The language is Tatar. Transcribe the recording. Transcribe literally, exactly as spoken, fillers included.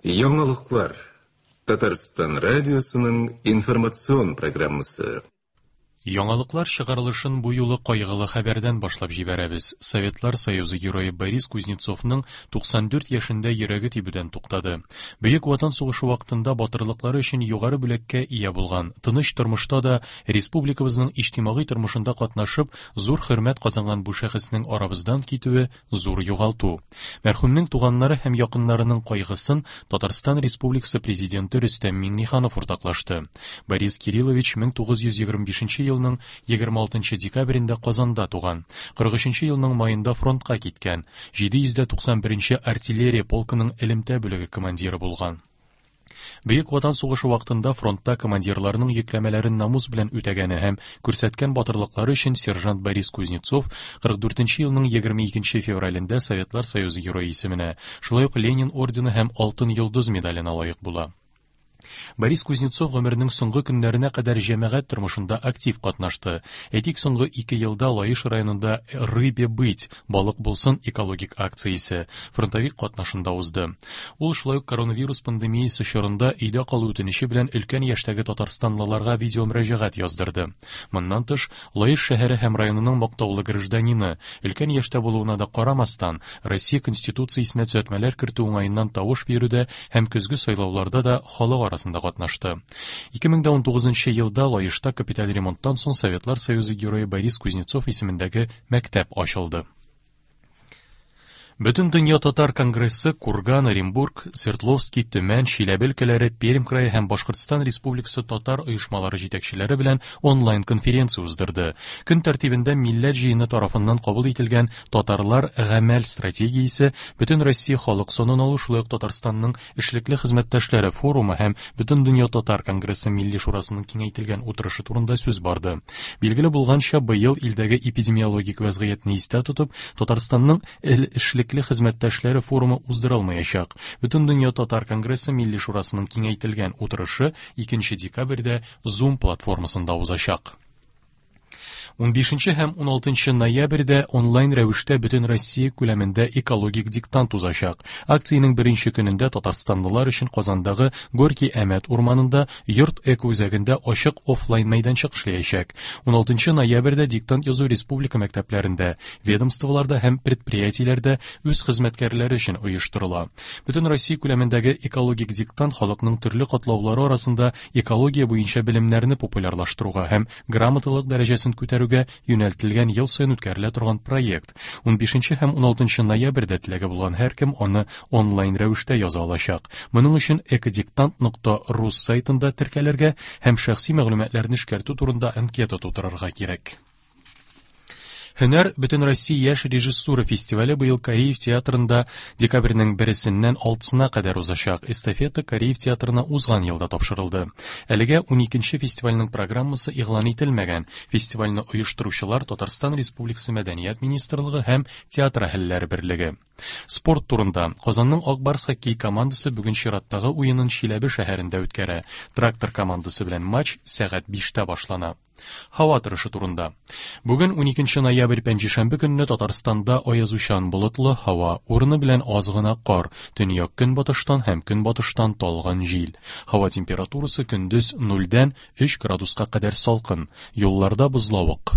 Яңалыклар. Татарстан радиосының информацион программасы. Яңалыклар чыгарылышын бу юлы кайгылы хәбәрдән башлап җибәрәбез. Советлар Союзы герое Борис Кузнецовның туксан дүрт яшендә йөрәге тибүдән туктады. Бөек Ватан сугышы вакытында батырлыклары өчен югары бүләккә ия булган, тыныч тормышта да республикабызның иҗтимагый тормышында катнашып, зур хөрмәт казанган бу шәхеснең арабыздан китүе зур югалту. Мәрхүмнең туганнары һәм якыннарының кайгысын Татарстан Республикасы президенты Рөстәм Миңнеханов уртаклашты. Борис Кириллович мең тугыз йөз егерме бишенче елның егерме алтынчы декабрендә Казанда туган. Кырык өченче елның майында фронтка киткән. Җиде йөз дә туксан беренче артиллерия полкының элемтә бүлеге командиры булган. Бөек Ватан сугышы вакытында фронтта командирларның йөкләмәләрен намус белән үтәгәне һәм күрсәткән батырлыклары өчен сержант Борис Кузнецов кырык дүртенче елның егерме икенче февралендә Советлар Союзы герое исеменә, шулай ук Ленин ордены һәм Алтын йолдыз медаленә лаек була. Борис Кузнецов гомеренең соңгы көннәренә кадәр җәмәгать тормышында актив катнашты. Әйтик, соңгы ике елда Лаеш районында Рыбе быть, балык булсын экологик акциясе фронтовик катнашында узды. Ул шулай ук коронавирус пандемиясе чорында өйдә калу үтенече белән өлкән яшьтәге татарстанлыларга видеомөрәҗәгать яздырды. Моннан тыш, Лаеш шәһәре һәм районының мактаулы гражданины, өлкән яшьтә булуына да карамастан, Россия Конституциясенә төзәтмәләр кертү уңаеннан тавыш бирүдә һәм көзге сайлауларда да халык арасында катнашты. Ике мең дә унтугызынчы елда Лаешта капиталь ремонттан соң Советлар Союзы герое Борис Кузнецов исемендәге мәктәп ачылды. Бөтен дөнья татар конгрессы Курган, Оренбург, Свердловский, Төмән, Чиләбе өлкәләре, Пермь крае һәм Башкортстан Республикасы татар оешмалары җитәкчеләре белән онлайн конференция уздырды. Көн тәртибендә Милләт җыены тарафыннан кабул ителгән Татарлар гамәл стратегиясе, Бөтен Россия халык санын алу, шулай ук Татарстанның эшлекле хезмәттәшләре форумы һәм Бөтен дөнья татар конгрессы Милли шурасының киңәйтелгән утырышы турында сүз барды. Билгеле булганча, быел илдәге эпидемиологик вәзгыятьне истә тотып, Татарстанның эшлекле хезмәттәшләре форумы уздырылмаячак. Бөтен дөнья татар конгрессы Милли шурасының киңәйтелгән утырышы икенче декабрьдә Zoom платформасында узачак. Унбишенче һәм уналтынчы ноябрьдә онлайн рәвештә бөтен Россия күләмендә экологик диктант узачак. Акциянең беренче көнендә татарстанлылар өчен Казандагы Горький Әмәт урманында Йорт эко үзәгендә ачык офлайн мәйданчык эшләячәк. Уналтынчы ноябрьдә диктант язу республика мәктәпләрендә, ведомстволарда һәм предприятиеләрдә үз хезмәткәрләре өчен оештырыла. Бөтен Россия күләмендәге экологик диктант халыкның төрле катлаулары арасында экология буенча белемнәрне популярлаштыруга һәм грамоталык дәрәҗәсен күтәрүгә юнәлтелгән ел саен үткәрелә торган проект. Унбишенче һәм уналтынчы ноябрьдә теләге булган һәркем аны онлайн рәвештә яза алачак. Моның өчен экодиктант нокта рус сайтында теркәлергә һәм шәхси мәгълүматларны эшкәртү турында анкета тутырырга кирәк. Һөнәр Бөтен Россия яшь режиссура фестивале быел Кариев театрында декабрьнең берсеннән алтысына кадәр узачак. Эстафета Кариев театрына узган елда тапшырылды. Әлегә уникенче фестивальнең программасы игълан ителмәгән. Фестивальне оештыручылар Татарстан Республикасы Мәдәният министрлыгы һәм Театр әһелләре берлеге. Спорт турында. Казанның Ак Барс хоккей командасы бүген чираттагы уенын Чиләбе шәһәрендә үткәрә. Трактор командасы белән матч сәгать биштә башлана. Һава торышы турында. Бүген уникенче ноябрь пәнҗешәмбе көнне Татарстанда аязучан болытлы һава, урыны белән аз гына кар, төньяк көнбатыштан һәм көнбатыштан талгын җил. Һава температурасы көндез нульдән өч градуска кадәр салкын, юлларда бозлавык.